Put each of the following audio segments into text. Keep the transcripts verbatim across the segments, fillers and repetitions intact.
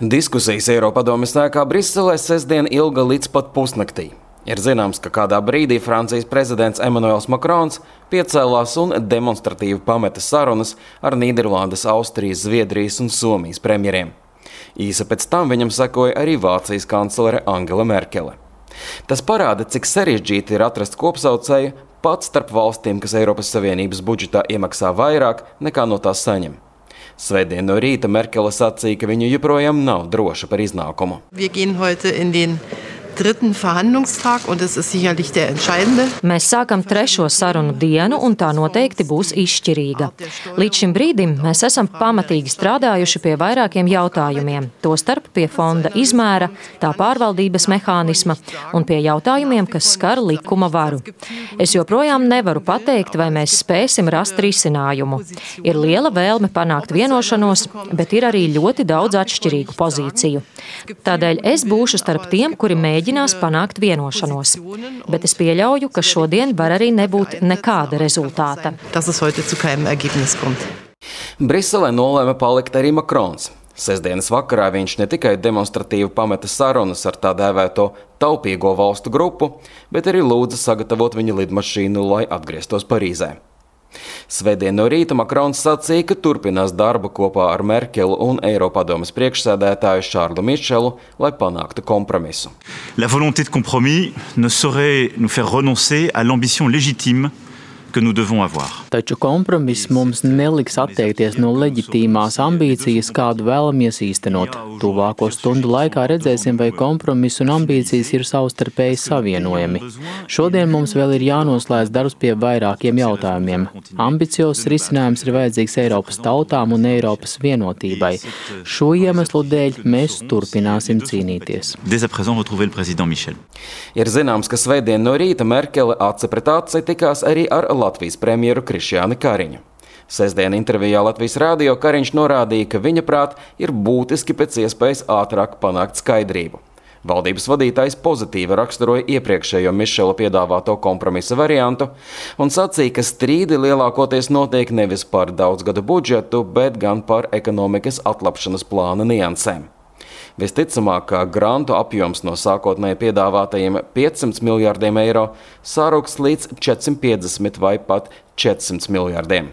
Diskusijas Eiropadomes ēkā Briselē sestdien ilga līdz pat pusnaktī. Ir zināms, ka kādā brīdī Francijas prezidents Emmanuels Macrons piecēlās un demonstratīvi pameta sarunas ar Nīderlandes, Austrijas, Zviedrijas un Somijas premjeriem. Īsi pēc tam viņam sekoja arī Vācijas kanclere Angela Merkele. Tas parāda, cik sarežģīti ir atrast kopsaucēju pat starp valstīm, kas Eiropas Savienības budžetā iemaksā vairāk nekā no tās saņem. Svētdien no rīta Merkele sacīja, ka viņa joprojām nav droša par iznākumu. Wir gehen heute in den dritten Verhandlungstag, und das ist sicherlich der entscheidende. Mēs sākam trešo sarunu dienu, un tā noteikti būs izšķirīga. Līdz šim brīdim mēs esam pamatīgi strādājuši pie vairākiem jautājumiem, tostarp pie fonda izmēra, tā pārvaldības mehānisma un pie jautājumiem, kas skar likuma varu. Es joprojām nevaru pateikt, vai mēs spēsim rast risinājumu. Ir liela vēlme panākt vienošanos, bet ir arī ļoti daudz atšķirīgu pozīciju. Tādēļ es būšu starp tiem, kuri mēģinās mēģinās panākt vienošanos. Bet es pieļauju, ka šodien var arī nebūt nekāda rezultāta. Briselē nolēma palikt arī Macrons. Sestdienas vakarā viņš ne tikai demonstratīvi pameta sarunas ar tā dēvēto taupīgo valstu grupu, bet arī lūdza sagatavot viņa lidmašīnu, lai atgrieztos Parīzē. Svētdien no rīta Macrons sacīja, ka turpinās darbu kopā ar Merkeli un Eiropadomes priekšsēdētāju Šārlu Mišelu, lai panāktu kompromisu. La volonté de compromis ne saurait nous faire renoncer à l'ambition légitime que nous devons avoir. Taču kompromiss mums neliks atteikties no leģitīmās ambīcijas, kādu vēlamies īstenot. Tuvāko stundu laikā redzēsim, vai kompromiss un ambīcijas ir savstarpēji savienojami. Šodien mums vēl ir jānoslēdz darbs pie vairākiem jautājumiem. Ambiciozs risinājums ir vajadzīgs Eiropas tautām un Eiropas vienotībai. Šo iemeslu dēļ mēs turpināsim cīnīties. Ir zināms, ka svētdien no rīta Merkele aci pret aci tikās arī ar Latvijas premjeru Krišjāni Kariņu. Sestdien intervijā Latvijas radio Kariņš norādīja, ka viņa prāt ir būtiski pēc iespējas ātrāk panākt skaidrību. Valdības vadītājs pozitīvi raksturoja iepriekšējo Mišela piedāvāto kompromisa variantu un sacīja, ka strīdi lielākoties notiek nevis par daudzgadu budžetu, bet gan par ekonomikas atlapšanas plāna niansēm. Visticamāk, ka grantu apjoms no sākotnēji piedāvātajiem piecsimt miljārdiem eiro sāruks līdz četrsimt piecdesmit vai pat četrsimt miljārdiem.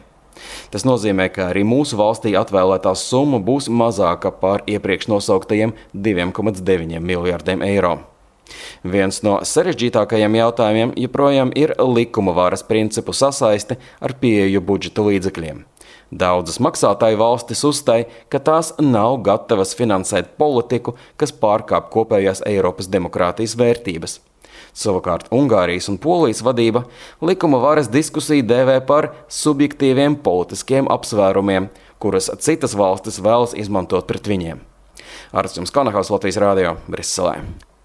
Tas nozīmē, ka arī mūsu valstī atvēlētā summa būs mazāka par iepriekš nosauktajiem diviem komats deviņiem miljārdiem eiro. Viens no sarežģītākajiem jautājumiem joprojām ir likuma varas principu sasaisti ar pieeju budžeta līdzekļiem. Daudzas maksātāju valstis uzstāj, ka tās nav gatavas finansēt politiku, kas pārkāp kopējās Eiropas demokrātijas vērtības. Savukārt Ungārijas un Polijas vadība likuma varas diskusiju dēvē par subjektīviem politiskiem apsvērumiem, kuras citas valstis vēlas izmantot pret viņiem. Arts Jums Kanahaus, Latvijas radio, Briselē.